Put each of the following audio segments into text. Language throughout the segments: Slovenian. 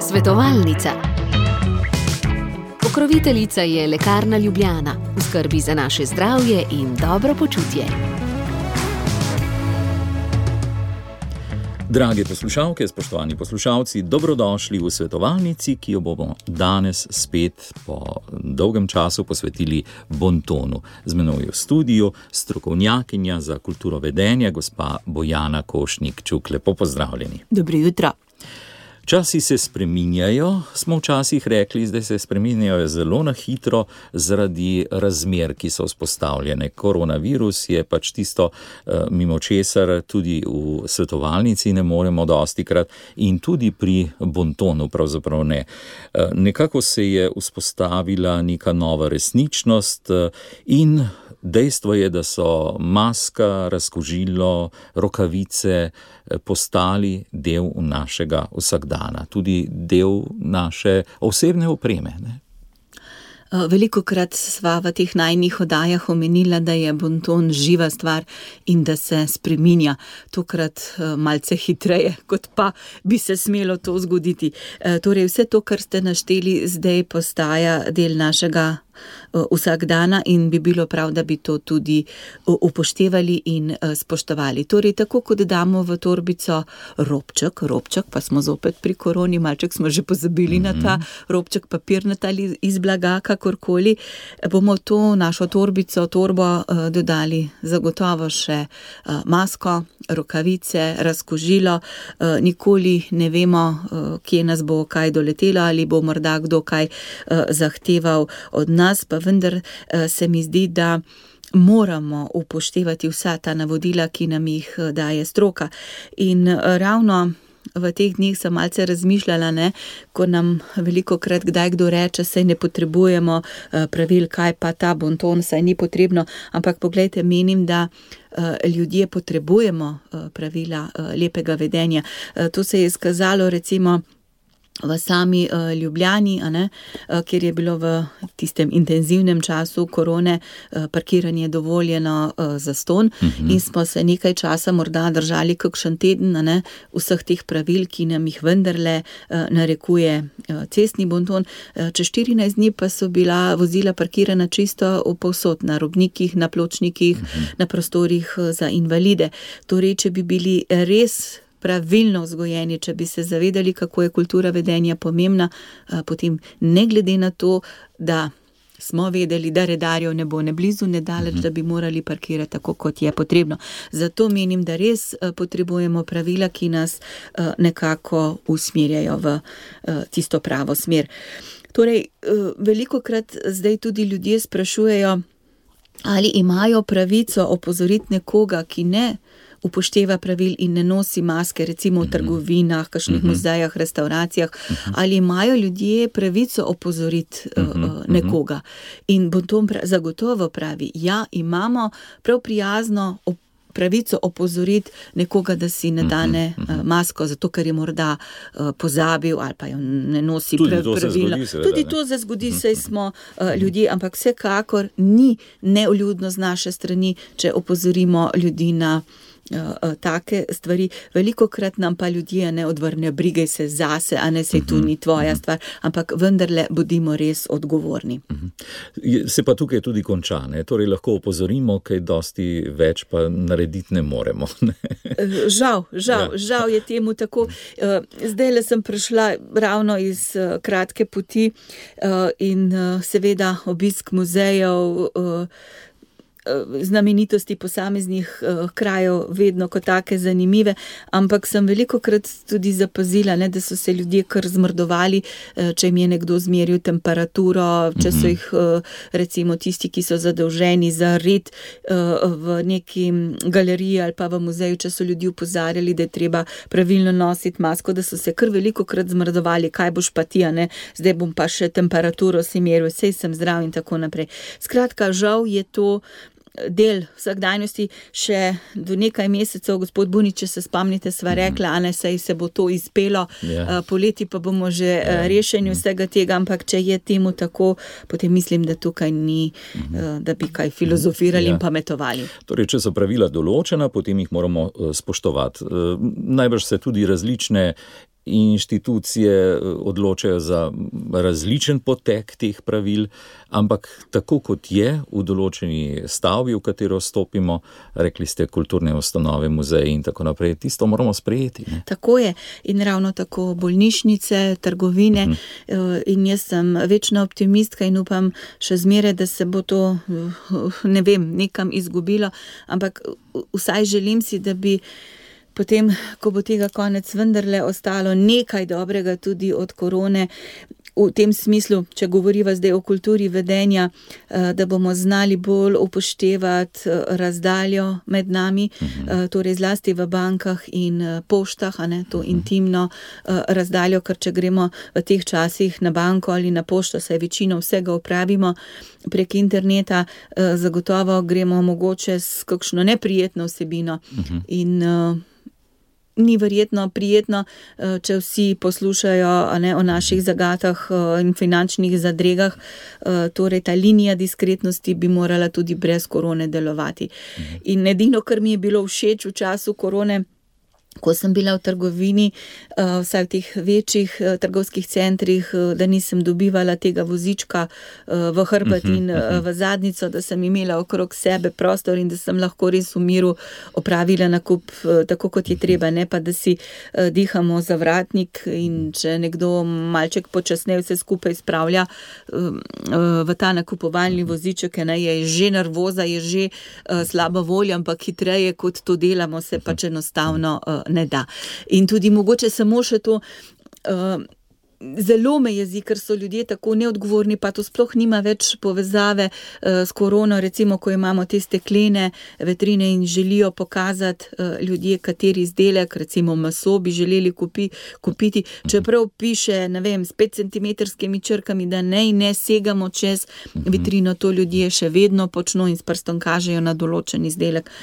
Svetovalnica. Pokroviteljica je Lekarna Ljubljana, v skrbi za naše zdravje in dobro počutje. Drage poslušalke, spoštovani poslušalci, dobrodošli v svetovalnici, ki jo bomo danes spet po dolgem času posvetili bontonu. Z menoj v studiu strokovnjakinja za kulturo vedenja, gospa Bojana Košnik-Čuk. Lepo pozdravljeni. Dobro jutro. Časi se spreminjajo, smo včasih rekli, zdaj se spreminjajo zelo na hitro zaradi razmer, ki so vzpostavljene. Koronavirus je pač tisto, mimo česar tudi v svetovalnici ne moremo dostikrat in tudi pri bontonu pravzaprav ne. Nekako se je vzpostavila neka nova resničnost in dejstvo je, da so maska, razkužilo, rokavice postali del našega vsakdana, tudi del naše osebne opreme, ne? Velikokrat sva v teh najnih oddajah omenila, da je bonton živa stvar in da se spreminja. Tokrat malce hitreje, kot pa bi se smelo to zgoditi. Torej vse to, kar ste našteli, zdaj postaja del našega vsakdana in bi bilo prav, da bi to tudi upoštevali in spoštovali. Torej, tako kot damo v torbico robček, pa smo zopet pri koroni, malček smo že pozabili na ta robček, papirnat ali iz blaga, kakorkoli, bomo to našo torbo dodali zagotovo še masko, rokavice, razkužilo. Nikoli ne vemo, kje nas bo kaj doletelo ali bo morda kdo kaj zahteval od nas, pa vendar se mi zdi, da moramo upoštevati vsa ta navodila, ki nam jih daje stroka. In ravno v teh dneh sem malce razmišljala, ne, ko nam velikokrat kdaj kdo reče, saj ne potrebujemo pravil, kaj pa ta bonton, saj ni potrebno, ampak poglejte, menim, da ljudje potrebujemo pravila lepega vedenja. To se je izkazalo recimo v sami Ljubljani, kjer je bilo v tistem intenzivnem času korone parkiranje dovoljeno zastonj in smo se nekaj časa morda držali kakšen teden vseh teh pravil, ki nam jih vendarle narekuje cestni bonton. Čez 14 dni pa so bila vozila parkirana čisto povsod, na robnikih, na pločnikih, na prostorih za invalide. Torej, če bi bili res pravilno vzgojeni, če bi se zavedali, kako je kultura vedenja pomembna, potem ne glede na to, da smo vedeli, da redarjev ne bo ne blizu, ne daleč, da bi morali parkirati tako, kot je potrebno. Zato menim, da res potrebujemo pravila, ki nas nekako usmerjajo v tisto pravo smer. Torej, velikokrat zdaj tudi ljudje sprašujejo, ali imajo pravico opozoriti nekoga, ki ne upošteva pravil in ne nosi maske, recimo v trgovinah, kakšnih muzejah, restauracijah, ali imajo ljudje pravico opozoriti nekoga. In bonton zagotovo pravi, ja, imamo prav prijazno pravico opozoriti nekoga, da si ne dane masko, zato ker je morda pozabil ali pa jo ne nosi pravilno. Tudi to se zgodi, saj smo ljudje, ampak vsekakor ni nevljudno z naše strani, če opozorimo ljudi na take stvari. Velikokrat nam pa ljudje ne odvrnejo, brigaj se zase, a ne, sej tu ni tvoja stvar, ampak vendarle bodimo res odgovorni. Se pa tukaj tudi konča, ne? Torej lahko opozorimo, kaj dosti več pa narediti ne moremo. Ne? Žal je temu tako. Zdajle sem prišla ravno iz kratke poti in seveda obisk muzejev, znamenitosti posameznih krajev vedno kot take zanimive, ampak sem velikokrat tudi zapazila, da so se ljudje kar zmrdovali, če jim je nekdo zmeril temperaturo, če so jih recimo tisti, ki so zadolženi za red v neki galeriji ali pa v muzeju, če so ljudi opozarjali, da je treba pravilno nositi masko, da so se kar velikokrat zmrdovali, kaj boš pa ti, zdaj bom pa še temperaturo si meril, sej sem zdrav in tako naprej. Skratka, žal je to del vsakdanjosti. Še do nekaj mesecev, gospod Bunič, če se spomnite, sva rekla, a ne, saj se bo to izpelo, poleti pa bomo že rešeni vsega tega, ampak če je temu tako, potem mislim, da tukaj ni, da bi kaj filozofirali in pametovali. Torej, če so pravila določena, potem jih moramo spoštovati. Najbrž se tudi različne inštitucije odločajo za različen potek teh pravil, ampak tako kot je v določeni stavbi, v katero stopimo, rekli ste kulturne ustanove, muzeji in tako naprej, tisto moramo sprejeti. Ne? Tako je in ravno tako bolnišnice, trgovine in jaz sem večna optimistka in upam še zmeraj, da se bo to, ne vem, nekam izgubilo, ampak vsaj želim si, da bi potem, ko bo tega konec, vendarle ostalo nekaj dobrega tudi od korone, v tem smislu, če govoriva zdaj o kulturi vedenja, da bomo znali bolj upoštevati razdaljo med nami, torej zlasti v bankah in poštah, a ne, to intimno razdaljo, ker če gremo v teh časih na banko ali na pošto, saj večino vsega opravimo prek interneta, zagotovo gremo mogoče s kakšno neprijetno vsebino in ni verjetno prijetno, če vsi poslušajo, a ne, o naših zagatah in finančnih zadregah, torej ta linija diskretnosti bi morala tudi brez korone delovati. In edino, kar mi je bilo všeč v času korone, ko sem bila v trgovini, vsaj v teh večjih trgovskih centrih, da nisem dobivala tega vozička v hrbet in v zadnjico, da sem imela okrog sebe prostor in da sem lahko res v miru opravila nakup tako, kot je treba, ne pa da si dihamo zavratnik in če nekdo malček počasneje vse skupaj spravlja v ta nakupovalni voziček, ne, je že nervoza, je že slaba volja, ampak hitreje kot to delamo, se pač enostavno ne da. In tudi mogoče samo še to, zelo me jezi, ker so ljudje tako neodgovorni, pa to sploh nima več povezave s korono, recimo, ko imamo te steklene vitrine in želijo pokazati ljudje, kateri izdelek, recimo meso bi želeli kupiti, čeprav piše, ne vem, s 5 centimetrskimi črkami, da ne segamo čez vitrino, to ljudje še vedno počno in s prstom kažejo na določen izdelek.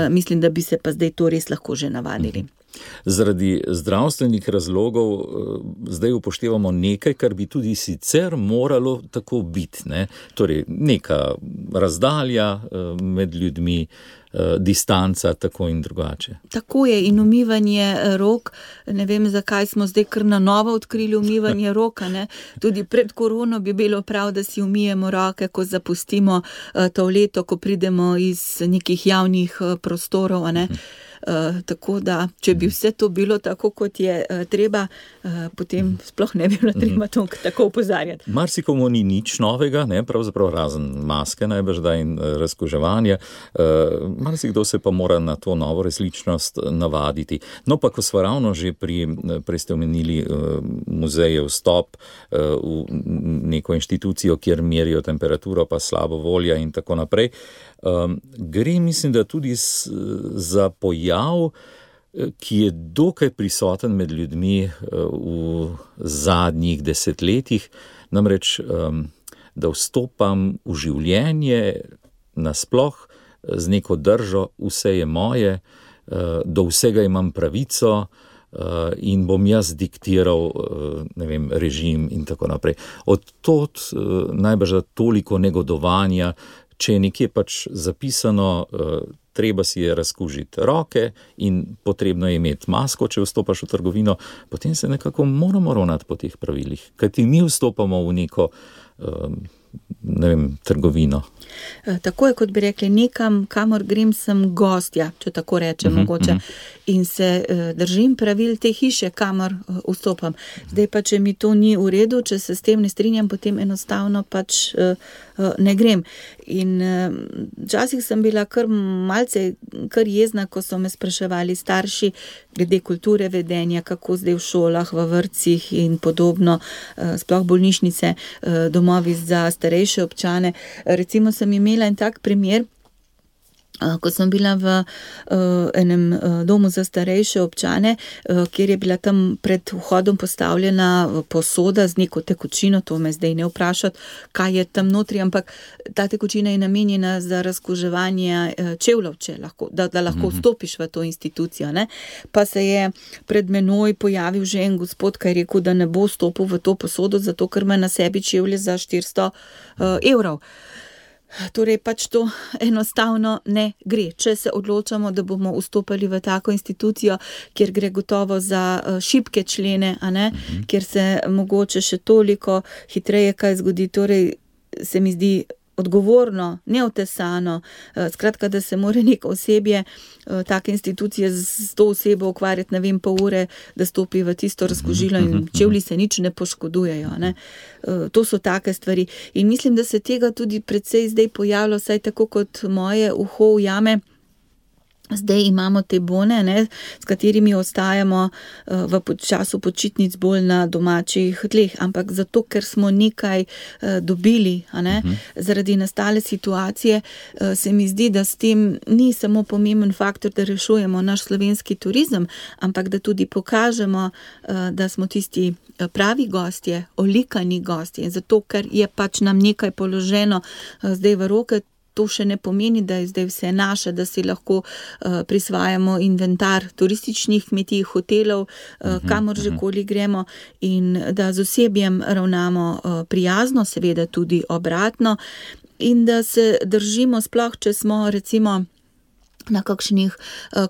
Mislim, da bi se pa zdaj to res lahko že navadili. Zaradi zdravstvenih razlogov zdaj upoštevamo nekaj, kar bi tudi sicer moralo tako biti, ne? Torej, neka razdalja med ljudmi, distanca, tako in drugače. Tako je, in umivanje rok, ne vem, zakaj smo zdaj kar na novo odkrili umivanje roka, ne? Tudi pred korono bi bilo prav, da si umijemo roke, ko zapustimo toaleto, ko pridemo iz nekih javnih prostorov, a ne? Tako da, če bi vse to bilo tako, kot je treba, potem sploh ne bi bilo treba to tako opozarjati. Marsikomu ni nič novega, ne, pravzaprav razen maske najbrž da in razkuževanja. Marsikdo se pa mora na to novo resničnost navaditi. No, pa ko smo ravno že prej ste omenili muzeje vstop v neko inštitucijo, kjer merijo temperaturo, pa slabo volja in tako naprej. Gre, mislim, da tudi za pojav, ki je dokaj prisoten med ljudmi v zadnjih desetletjih, namreč, da vstopam v življenje nasploh z neko držo, vse je moje, do vsega imam pravico in bom jaz diktiral, ne vem, režim in tako naprej. Od tod najbrž toliko negodovanja, če je nekje pač zapisano, treba si je razkužiti roke in potrebno je imeti masko, če vstopaš v trgovino, potem se nekako moramo ravnati po teh pravilih, kajti mi vstopamo v neko, ne vem, trgovino. Tako je, kot bi rekli, nekam, kamor grem, sem gostja, če tako rečem mogoče, in se držim pravil te hiše, kamor vstopam. Zdaj pa, če mi to ni v redu, če se s tem ne strinjam, potem enostavno pač ne grem. In včasih sem bila kar malce jezna, ko so me spraševali starši glede kulture vedenja, kako zdaj v šolah, v vrtcih in podobno, sploh bolnišnice, domovi za starejše občane. Recimo sem imela en tak primer, Ko sem bila v enem domu za starejše občane, kjer je bila tam pred vhodom postavljena posoda z neko tekočino, to me zdaj ne vprašati, kaj je tam notri, ampak ta tekočina je namenjena za razkuževanje čevljev, da lahko vstopiš v to institucijo, ne. Pa se je pred menoj pojavil že en gospod, ki je rekel, da ne bo stopil v to posodo, zato ker ima na sebi čevlje za 400 evrov. Torej pač to enostavno ne gre. Če se odločamo, da bomo vstopali v tako institucijo, kjer gre gotovo za šibke člene, a ne, kjer se mogoče še toliko hitreje kaj zgodi, torej se mi zdi odgovorno, neotesano, skratka, da se mora neko osebje take institucije z to osebo ukvarjati, ne vem, pol ure, da stopi v tisto razkužilo in čevlji se nič ne poškodujejo, ne. To so take stvari. In mislim, da se tega tudi precej zdaj pojavlja, vsaj tako kot moje uho ujame. Zdaj imamo te bone, ne, s katerimi ostajamo v času počitnic bolj na domačih tleh, ampak zato, ker smo nekaj dobili, a ne, zaradi nastale situacije, se mi zdi, da s tem ni samo pomemben faktor, da rešujemo naš slovenski turizem, ampak da tudi pokažemo, da smo tisti pravi gostje, olikani gostje, zato, ker je pač nam nekaj položeno zdaj v roke. To še ne pomeni, da je zdaj vse naše, da si lahko prisvajamo inventar turističnih kmetij, hotelov, kamor že koli gremo in da z osebjem ravnamo prijazno, seveda tudi obratno in da se držimo, sploh če smo recimo na kakšnih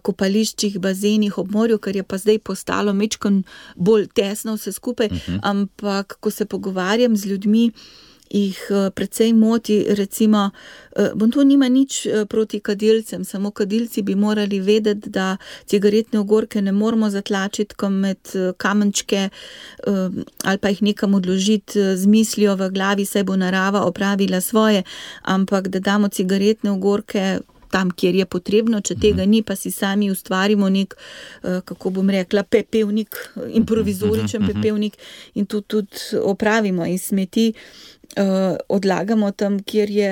kopališčih, bazenih ob morju, ker je pa zdaj postalo majčkeno bolj tesno vse skupaj, ampak ko se pogovarjam z ljudmi, jih precej moti, recimo, to nima nič proti kadilcem, samo kadilci bi morali vedeti, da cigaretne ogorke ne moramo zatlačiti med kamenčke ali pa jih nekam odložiti z mislijo v glavi, saj bo narava opravila svoje, ampak da damo cigaretne ogorke tam, kjer je potrebno, če tega ni, pa si sami ustvarimo nek, kako bom rekla, pepevnik, improvizoričen pepevnik in to tudi opravimo iz smeti. Odlagamo tam, kjer je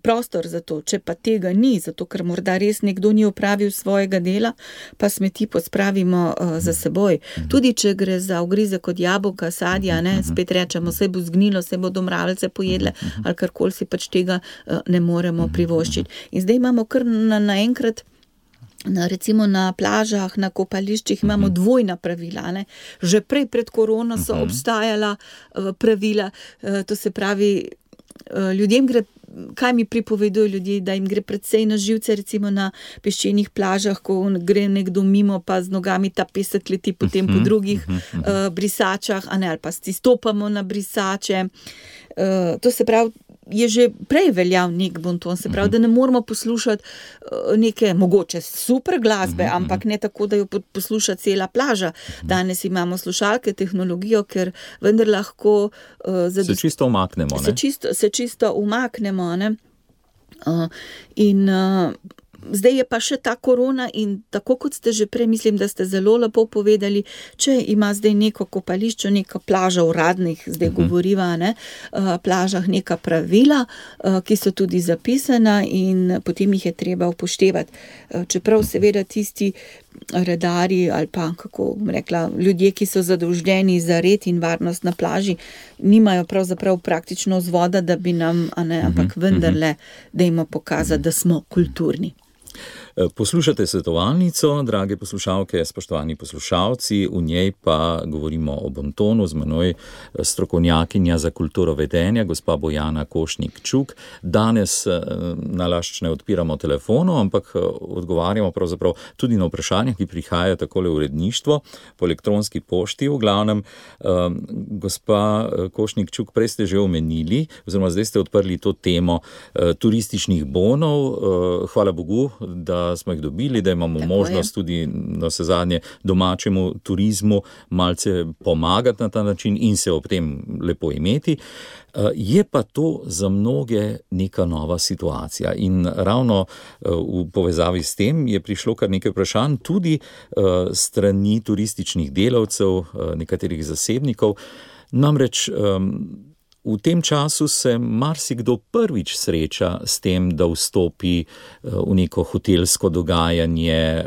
prostor za to, če pa tega ni, zato ker morda res nekdo ni opravil svojega dela, pa smeti pospravimo za seboj. Tudi če gre za ugrizek od jabolka, sadja, ne, spet rečemo, saj bo zgnilo, saj bodo mravljice pojedle, ali karkoli si pač tega ne moremo privoščiti. In zdaj imamo kar naenkrat, recimo na plažah, na kopališčih imamo dvojna pravila, ne. Že prej pred korono so obstajala pravila, to se pravi, ljudem gre, kaj mi pripovedujo ljudje, da jim gre precej na živce, recimo na peščenih plažah, ko gre nekdo mimo, pa z nogami ta pesek leti potem po drugih brisačah, a ne, ali pa stopamo na brisače. To se pravi, je že prej veljal nek bonton, se pravi, da ne moramo poslušati neke mogoče super glasbe, ampak ne tako, da jo posluša cela plaža. Danes imamo slušalke, tehnologijo, ker vendar lahko se čisto umaknemo, ne? Se čisto umaknemo, ne? In zdaj je pa še ta korona in tako kot ste že prej, mislim, da ste zelo lepo povedali, če ima zdaj neko kopališče, neka plaža uradnih, zdaj govoriva, ne, plažah neka pravila, ki so tudi zapisana in potem jih je treba upoštevati. Čeprav seveda tisti redarji ali pa, kako bom rekla, ljudje, ki so zadolženi za red in varnost na plaži, nimajo pravzaprav praktično vzvoda, da bi nam, a ne, ampak vendarle dajmo pokazati, da smo kulturni. Poslušate svetovalnico, drage poslušalke, spoštovani poslušalci, v njej pa govorimo o bontonu, z menoj strokovnjakinja za kulturo vedenja, gospa Bojana Košnik-Čuk. Danes nalašč ne odpiramo telefonov, ampak odgovarjamo pravzaprav tudi na vprašanja, ki prihajajo takole v uredništvo, po elektronski pošti v glavnem. Gospa Košnik-Čuk, prej ste že omenili, oziroma zdaj ste odprli to temo turističnih bonov. Hvala Bogu, da smo jih dobili, da imamo tako možnost tudi na vse zadnje domačemu turizmu malce pomagati na ta način in se ob tem lepo imeti. Je pa to za mnoge neka nova situacija in ravno v povezavi s tem je prišlo kar nekaj vprašanj tudi strani turističnih delavcev, nekaterih zasebnikov. Namreč v tem času se marsikdo prvič sreča s tem, da vstopi v neko hotelsko dogajanje,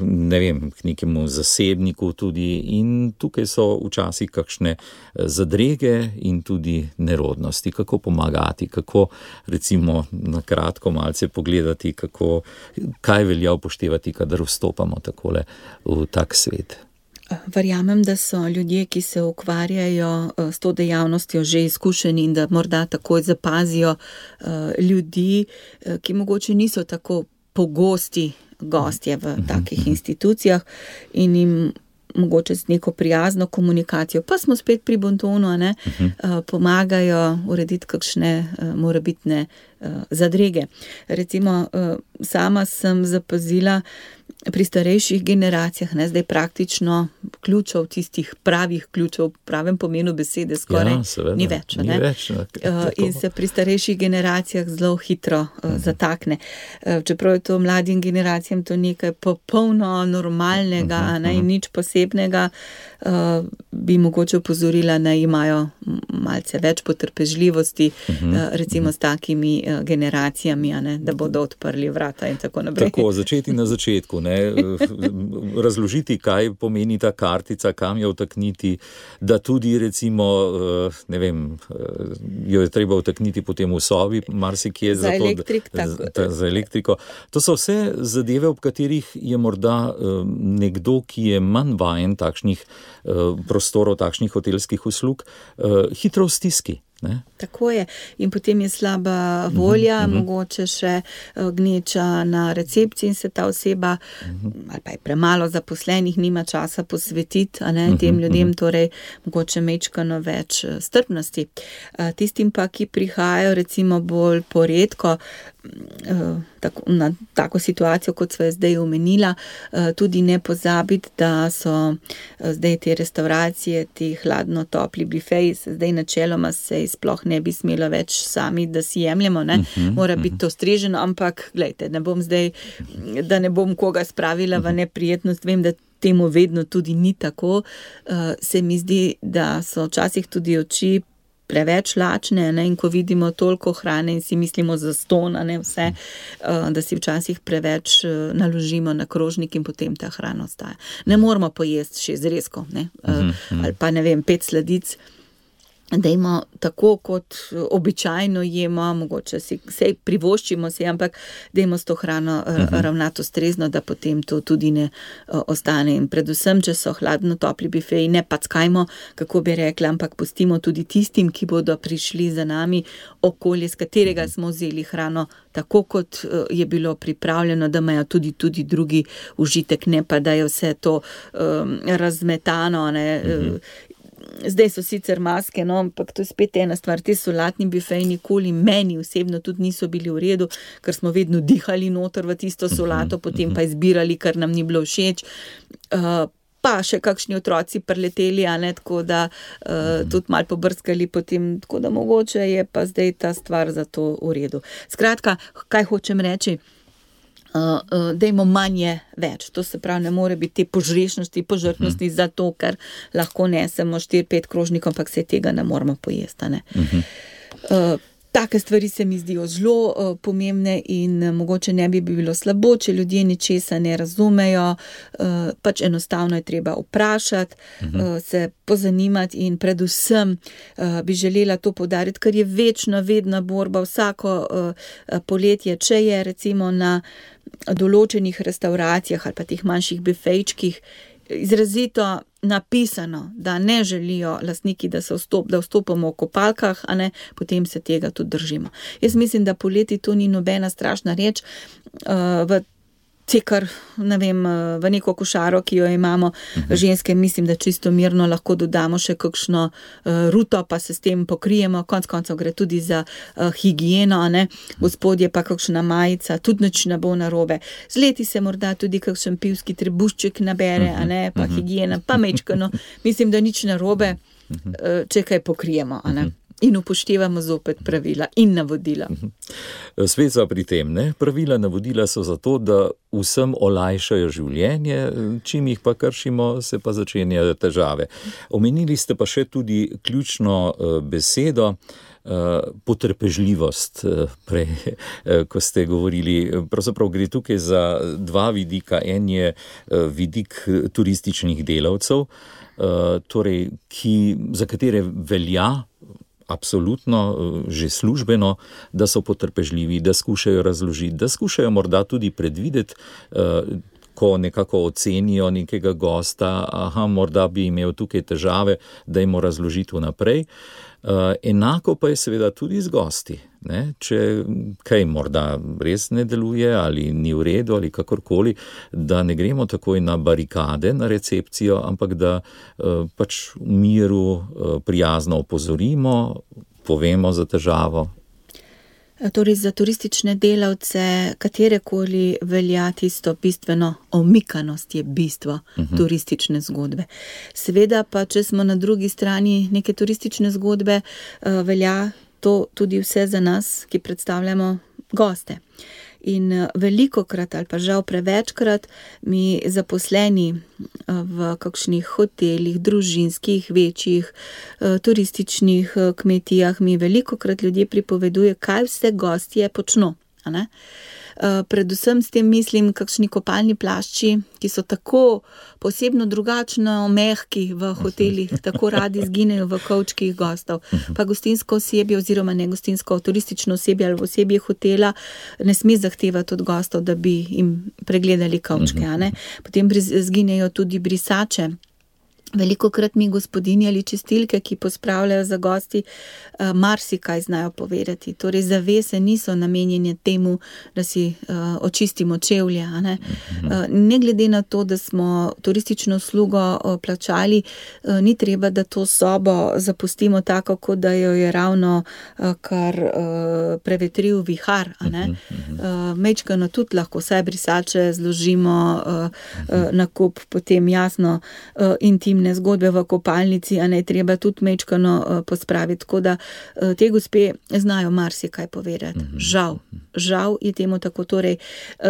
ne vem, k nekemu zasebniku tudi, in tukaj so včasih kakšne zadrege in tudi nerodnosti. Kako pomagati, kako recimo na kratko malce pogledati, kaj velja upoštevati, kadar vstopamo takole v tak svet. Verjamem, da so ljudje, ki se ukvarjajo s to dejavnostjo, že izkušeni in da morda takoj zapazijo ljudi, ki mogoče niso tako pogosti gostje v takih institucijah in jim mogoče z neko prijazno komunikacijo, pa smo spet pri bontonu, pomagajo urediti kakšne morebitne zadrege. Recimo, sama sem zapazila pri starejših generacijah, zdaj praktično ključev, tistih pravih ključev, v pravem pomenu besede skoraj ni več. In se pri starejših generacijah zelo hitro zatakne. Čeprav je to mladim generacijam to nekaj popolno normalnega, in nič posebnega, bi mogoče opozorila, da imajo malce več potrpežljivosti, recimo s takimi generacijami, da bodo odprli vrata in tako naprej. Tako, začeti na začetku, razložiti, kaj pomeni ta kartica, kam jo vtakniti, da tudi recimo, ne vem, jo je treba vtakniti potem v sobi, marsikje za elektriko. To so vse zadeve, ob katerih je morda nekdo, ki je manj vajen takšnih prostorov, takšnih hotelskih uslug, hitro v stiski. Ne? Tako je. In potem je slaba volja, mogoče še gneča na recepciji in se ta oseba, ali pa je premalo zaposlenih, nima časa posvetiti tem ljudem, torej mogoče mečkano več strpnosti. Tistim pa, ki prihajajo recimo bolj poredko, na tako situacijo, kot sva zdaj omenila, tudi ne pozabiti, da so zdaj te restauracije, ti hladno-topli bifeji, zdaj načeloma se sploh ne bi smelo več sami, da si jemljemo, mora biti to streženo, ampak glejte, da ne bom koga spravila v neprijetnost, vem, da temu vedno tudi ni tako, se mi zdi, da so včasih tudi oči preveč lačne, in ko vidimo toliko hrane in si mislimo zastonj, vse, da si včasih preveč naložimo na krožnik in potem ta hrana ostaja. Ne moramo pojesti 6 zrezkov, ali pa 5 sladic. Dajmo tako, kot običajno jemo, mogoče si privoščimo si, ampak dajmo s to hrano ravnati ustrezno, da potem to tudi ne ostane. In predvsem, če so hladno-topli bifeji, ne packajmo, kako bi rekla, ampak pustimo tudi tistim, ki bodo prišli za nami, okolje, z katerega smo vzeli hrano, tako kot je bilo pripravljeno, da imajo tudi drugi užitek, ne pa da je vse to razmetano, Zdaj so sicer maske, ampak to je spet ena stvar, te solatni bifeji nikoli meni osebno tudi niso bili v redu, ker smo vedno dihali noter v tisto solato, potem pa izbirali, kar nam ni bilo všeč, pa še kakšni otroci preleteli, tako da tudi malo pobrskali potem, tako da mogoče je pa zdaj ta stvar za to v redu. Skratka, kaj hočem reči? Dajmo manje več. To se pravi, ne more biti te požrešnosti, požrtnosti za to, ker lahko nesemo 4-5 krožnikov, ampak se tega ne moramo pojesti. Take stvari se mi zdijo zelo pomembne in mogoče ne bi bilo slabo, če ljudje ničesa ne razumejo, pač enostavno je treba vprašati, se pozanimati in predvsem bi želela to poudariti, ker je vedno borba vsako poletje, če je recimo na določenih restauracijah ali pa teh manjših bifejčkih izrazito napisano, da ne želijo lastniki, da vstopamo v kopalkah, potem se tega tudi držimo. Jaz mislim, da poleti to ni nobena strašna reč, kar, v neko košaro, ki jo imamo, ženske, mislim, da čisto mirno lahko dodamo še kakšno ruto, pa se s tem pokrijemo, konec koncev gre tudi za higieno, gospodje pa kakšna majica, tudi nič ne bo narobe. Z leti se morda tudi kakšen pivski trebušček nabere, pa higiena, pa mečkano, mislim, da nič narobe, če kaj pokrijemo, In upoštevamo zopet pravila in navodila. Spet so pri tem, ne? Pravila, navodila so zato, da vsem olajšajo življenje, čim jih pa kršimo, se pa začenjajo težave. Omenili ste pa še tudi ključno besedo, potrpežljivost, prej, ko ste govorili. Pravzaprav gre tukaj za dva vidika. En je vidik turističnih delavcev, torej, za katere velja absolutno, že službeno, da so potrpežljivi, da skušajo razložiti, da skušajo morda tudi predvideti, ko nekako ocenijo nekega gosta, morda bi imel tukaj težave, da jim razložiti vnaprej. Enako pa je seveda tudi z gosti, ne? Če kaj morda res ne deluje ali ni v redu ali kakorkoli, da ne gremo takoj na barikade, na recepcijo, ampak da pač v miru prijazno opozorimo, povemo za težavo. Torej za turistične delavce katerekoli velja tisto bistveno, omikanost je bistvo turistične zgodbe. Seveda pa, če smo na drugi strani neke turistične zgodbe, velja to tudi vse za nas, ki predstavljamo goste. In velikokrat ali pa žal prevečkrat mi zaposleni v kakšnih hotelih, družinskih, večjih, turističnih kmetijah mi velikokrat ljudje pripovedujejo, kaj vse gostje počno, a ne? Predvsem s tem mislim kakšni kopalni plašči, ki so tako posebno drugačno mehki v hotelih, tako radi zginejo v kovčkih gostov. Pa gostinsko osebje oziroma ne gostinsko, turistično osebje ali osebje hotela ne sme zahtevati od gostov, da bi jim pregledali kovčke, a ne? Potem zginejo tudi brisače. Velikokrat mi gospodinje ali čistilke, ki pospravljajo za gosti, marsikaj znajo povedati. Torej zavese niso namenjene temu, da si očistimo čevlje, a ne? Ne glede na to, da smo turistično uslugo plačali, ni treba, da to sobo zapustimo tako, kot da jo je ravno kar prevetril vihar, a ne? Mečkano tudi lahko vse brisače zložimo na kup, potem jasno intimne zgodbe v kopalnici, a ne, treba tudi mečkano pospraviti, tako da te gospe znajo marsikaj povedati. Žal je temu tako, torej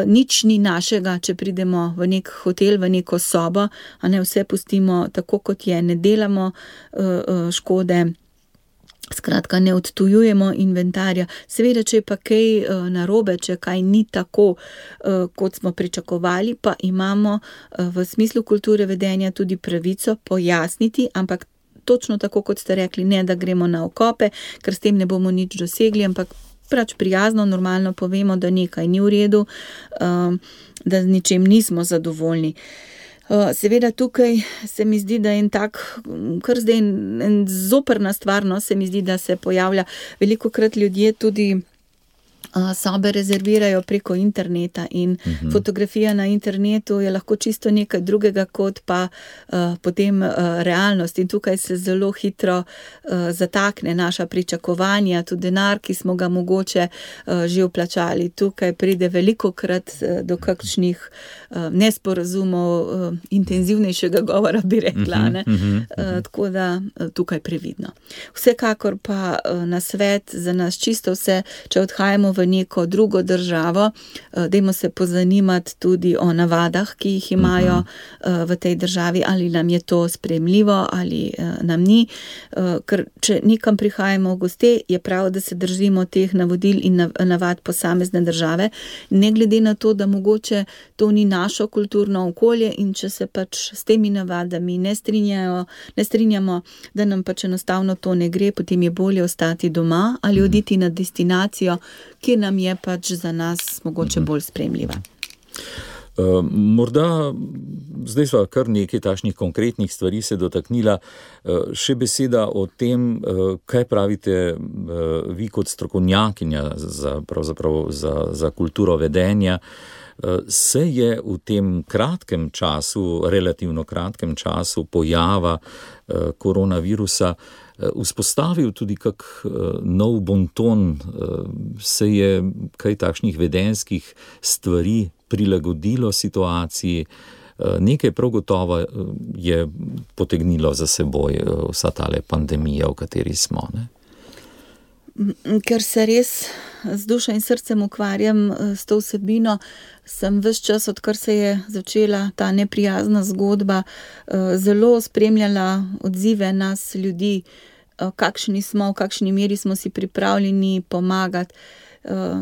nič ni našega, če pridemo v nek hotel, v neko sobo, a ne, vse pustimo tako, kot je, ne delamo škode. Skratka, ne odtujujemo inventarja. Seveda, če je pa kaj narobe, če kaj ni tako, kot smo pričakovali, pa imamo v smislu kulture vedenja tudi pravico pojasniti, ampak točno tako, kot ste rekli, ne da gremo na okope, ker s tem ne bomo nič dosegli, ampak pač prijazno, normalno povemo, da nekaj ni v redu, da z ničem nismo zadovoljni. Seveda tukaj se mi zdi, da je en tak, kar zdaj en zoprna stvar, no, se mi zdi, da se pojavlja. Velikokrat ljudje tudi sobe rezervirajo preko interneta in fotografija na internetu je lahko čisto nekaj drugega kot pa potem realnost in tukaj se zelo hitro zatakne naša pričakovanja, tudi denar, ki smo ga mogoče že vplačali. Tukaj pride velikokrat do kakšnih nesporazumov, intenzivnejšega govora bi rekla, ne? Tako da tukaj previdno. Vsekakor pa nasvet za nas čisto vse, če odhajamo v neko drugo državo, dajmo se pozanimati tudi o navadah, ki jih imajo v tej državi, ali nam je to sprejemljivo, ali nam ni. Ker če nekam prihajamo v goste, je prav, da se držimo teh navodil in navad posamezne države, ne glede na to, da mogoče to ni našo kulturno okolje in če se pač s temi navadami ne strinjamo, da nam pač enostavno to ne gre, potem je bolje ostati doma ali oditi na destinacijo, ki nam je pač za nas mogoče bolj sprejemljiva. Morda, zdaj sva kar nekaj takšnih konkretnih stvari se dotaknila, še beseda o tem, kaj pravite vi kot strokovnjakinja za kulturo vedenja. Se je v tem kratkem času, relativno kratkem času pojava koronavirusa vzpostavil tudi kak nov bonton, se je kaj takšnih vedenjskih stvari prilagodilo situaciji, nekaj prav gotovo je potegnilo za seboj vsa tale pandemija, v kateri smo, ne? Ker se res z dušo in srcem ukvarjam s to vsebino, sem ves čas, odkar se je začela ta neprijazna zgodba, zelo spremljala odzive nas ljudi, kakšni smo, v kakšni meri smo si pripravljeni pomagati.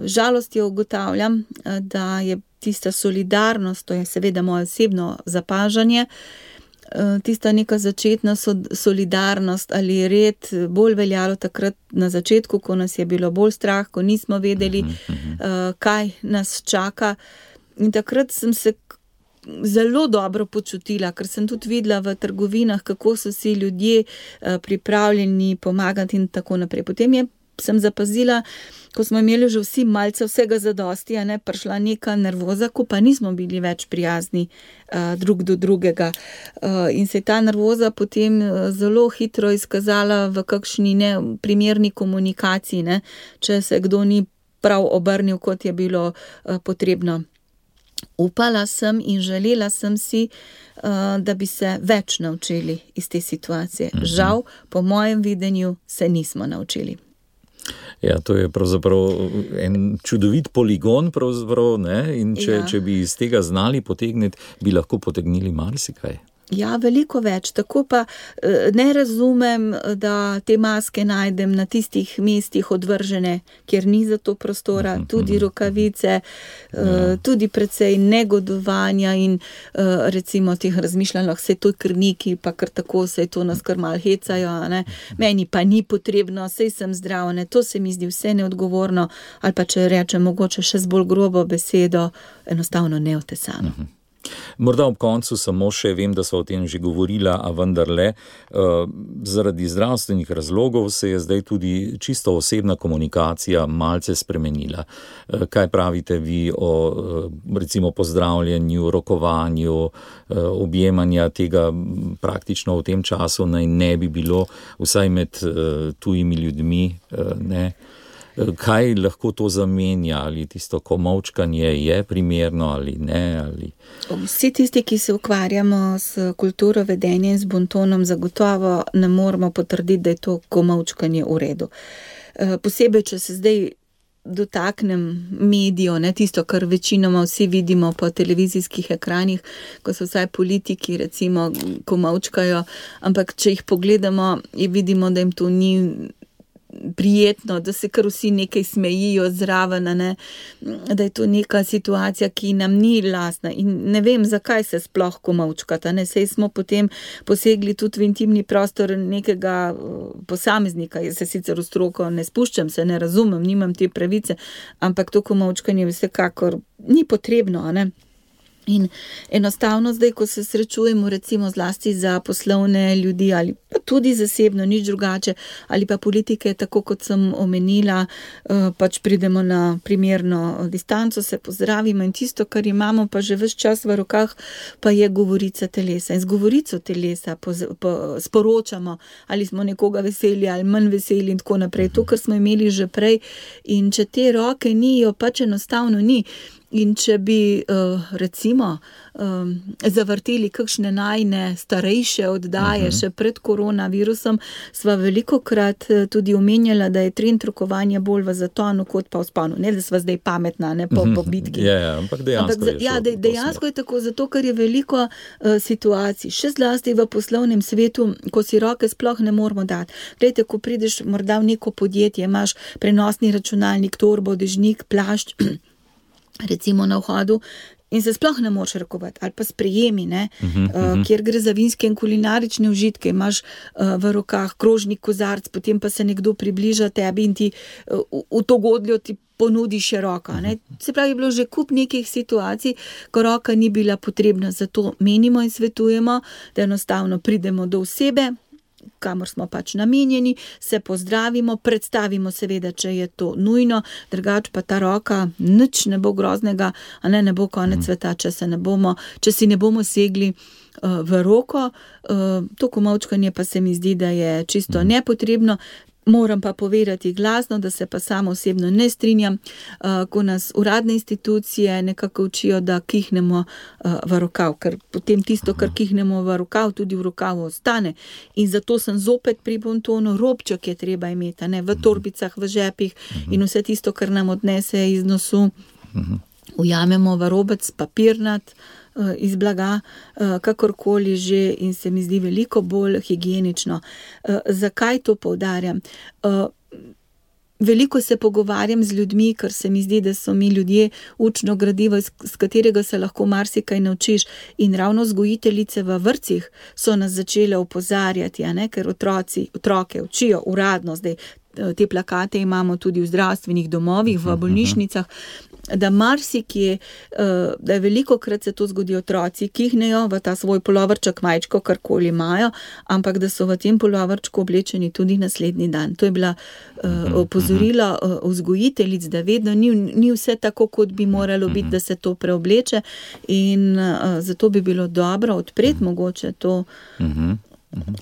Žalostjo ugotavljam, da je tista solidarnost, to je seveda moje osebno zapažanje, tista neka začetna solidarnost ali red bolj veljalo takrat na začetku, ko nas je bilo bolj strah, ko nismo vedeli, kaj nas čaka. In takrat sem se zelo dobro počutila, ker sem tudi videla v trgovinah, kako so si ljudje pripravljeni pomagati in tako naprej. Potem sem zapazila, ko smo imeli že vsi malce vsega zadosti, prišla neka nervoza, ko pa nismo bili več prijazni drug do drugega. In se je ta nervoza potem zelo hitro izkazala v kakšni neprimerni komunikaciji, če se kdo ni prav obrnil, kot je bilo potrebno. Upala sem in želela sem si, da bi se več naučili iz te situacije. Žal, po mojem videnju, se nismo naučili. Ja, to je pravzaprav en čudovit poligon, pravzaprav, in če bi iz tega znali potegniti, bi lahko potegnili marsikaj. Ja, veliko več. Tako pa ne razumem, da te maske najdem na tistih mestih odvržene, kjer ni za to prostora, tudi rokavice, tudi precej negodovanja in recimo teh razmišljanj, se to krniki, pa kar tako se to nas kar malo hecajo, meni pa ni potrebno, sej sem zdrav, to se mi zdi vse neodgovorno, ali pa če rečem mogoče še z bolj grobo besedo, enostavno neotesano. Morda ob koncu samo še, vem, da so o tem že govorila, a vendarle, zaradi zdravstvenih razlogov se je zdaj tudi čisto osebna komunikacija malce spremenila. Kaj pravite vi o recimo pozdravljanju, rokovanju, objemanja tega praktično v tem času naj ne bi bilo, vsaj med tujimi ljudmi, Kaj lahko to zamenja, ali tisto komolčkanje je primerno ali ne? Vsi tisti, ki se ukvarjamo s kulturo vedenja in z bontonom, zagotovo ne moramo potrditi, da je to komolčkanje v redu. Posebej, če se zdaj dotaknem medijev, tisto, kar večinoma vsi vidimo po televizijskih ekranih, ko so vsaj politiki recimo komolčkajo, ampak če jih pogledamo, vidimo, da jim to ni prijetno, da se kar vsi nekaj smejijo zraven, da je to neka situacija, ki nam ni lastna in ne vem, zakaj se sploh komolčkata, saj smo potem posegli tudi v intimni prostor nekega posameznika. Jaz se sicer v stroko ne spuščam, se ne razumem, nimam te pravice, ampak to komolčkanje vsekakor ni potrebno, In enostavno zdaj, ko se srečujemo recimo zlasti za poslovne ljudi ali pa tudi zasebno, nič drugače, ali pa politike, tako kot sem omenila, pač pridemo na primerno distanco, se pozdravimo in tisto, kar imamo pa že ves čas v rokah, pa je govorica telesa. In z govorico telesa sporočamo, ali smo nekoga veseli ali manj veseli in tako naprej. To, kar smo imeli že prej, in če te roke ni, jo pač enostavno ni. In če bi recimo zavrteli kakšne najne starejše oddaje še pred koronavirusom, sva velikokrat tudi omenjala, da je trend rokovanja bolj v zatonu kot pa v vzponu. Ne, da sva zdaj pametna, po bitki. Ampak dejansko je tako, zato ker je veliko situacij, še zlasti v poslovnem svetu, ko si roke sploh ne moramo dati. Glejte, ko prideš morda v neko podjetje, imaš prenosni računalnik, torbo, dežnik, plašč, recimo na vhodu, in se sploh ne moreš rokovati, ali pa sprejemi, kjer gre za vinske in kulinarične užitke, imaš v rokah krožnik, kozarc, potem pa se nekdo približa tebi in ti v to godljo ti ponudi še roka. Se pravi, je bilo že kup nekih situacij, ko roka ni bila potrebna, zato menimo in svetujemo, da enostavno pridemo do osebe, kamor smo pač namenjeni, se pozdravimo, predstavimo seveda, če je to nujno, drugače pa ta roka, nič ne bo groznega, ne bo konec sveta, če si ne bomo segli v roko. To komolčkanje pa se mi zdi, da je čisto nepotrebno. Moram pa povedati glasno, da se pa sama osebno ne strinjam, ko nas uradne institucije nekako učijo, da kihnemo v rokav, ker potem tisto, kar kihnemo v rokav, tudi v rokavu ostane. In zato sem zopet pri bontonu, robček je treba imeti, ne, v torbicah, v žepih in vse tisto, kar nam odnese iz nosu, ujamemo v robec papirnat, iz blaga, kakorkoli že, in se mi zdi veliko bolj higienično. Zakaj to poudarjam? Veliko se pogovarjam z ljudmi, ker se mi zdi, da so mi ljudje učno gradivo, z katerega se lahko marsikaj naučiš, in ravno vzgojiteljice v vrtcih so nas začele opozarjati, a ne, ker otroke učijo uradno, zdaj te plakate imamo tudi v zdravstvenih domovih, v bolnišnicah, da marsikje, da je velikokrat se to zgodi, otroci kihnejo v ta svoj puloverček, majčko, karkoli imajo, ampak da so v tem puloverčku oblečeni tudi naslednji dan. To je bila opozorila vzgojiteljic, da vedno ni vse tako, kot bi moralo biti, da se to preobleče, in zato bi bilo dobro odpreti mogoče to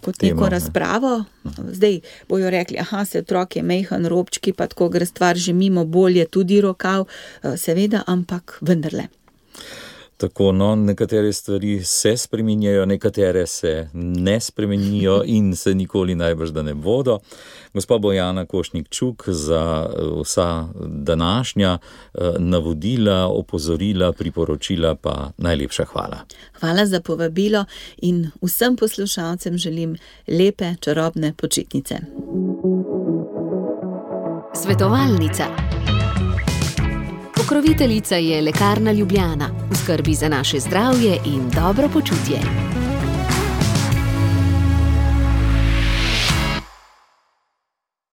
kot neko razpravo. Zdaj bojo rekli, se otrok je mejhan, robčki, pa tako gre stvar že mimo, bolje tudi rokav, seveda, ampak vendarle. Tako, nekatere stvari se spreminjajo, nekatere se ne spremenijo in se nikoli najbrž da ne bodo. Gospa Bojana Košnik-Čuk, za vsa današnja navodila, opozorila, priporočila pa najlepša hvala. Hvala za povabilo in vsem poslušalcem želim lepe, čarobne počitnice. Svetovalnica. Pokroviteljica je Lekarna Ljubljana, v skrbi za naše zdravje in dobro počutje.